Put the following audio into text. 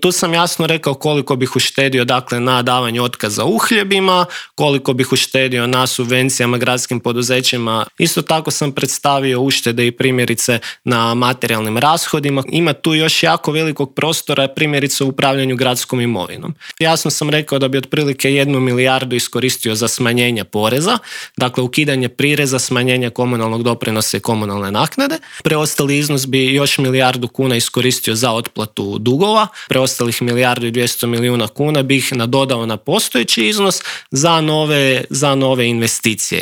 Tu sam jasno rekao koliko bih uštedio dakle, na davanju otkaza uhljebima, koliko bih uštedio na subvencijama gradskim poduzećima. Isto tako sam predstavio uštede i primjerice na materijalnim rashodima. Ima tu još jako velikog prostora primjerice u upravljanju gradskom imovinom. Jasno sam rekao da bi otprilike 1 milijardu iskoristio za smanjenje poreza, dakle ukidanje prireza, smanjenje komunalnog doprinosa i komunalne naknade. Preostali iznos bi još 1 milijardu kuna iskoristio za otplatu dugova. Preostalih 1,2 milijarde kuna bih nadodao na postojeći iznos za nove investicije.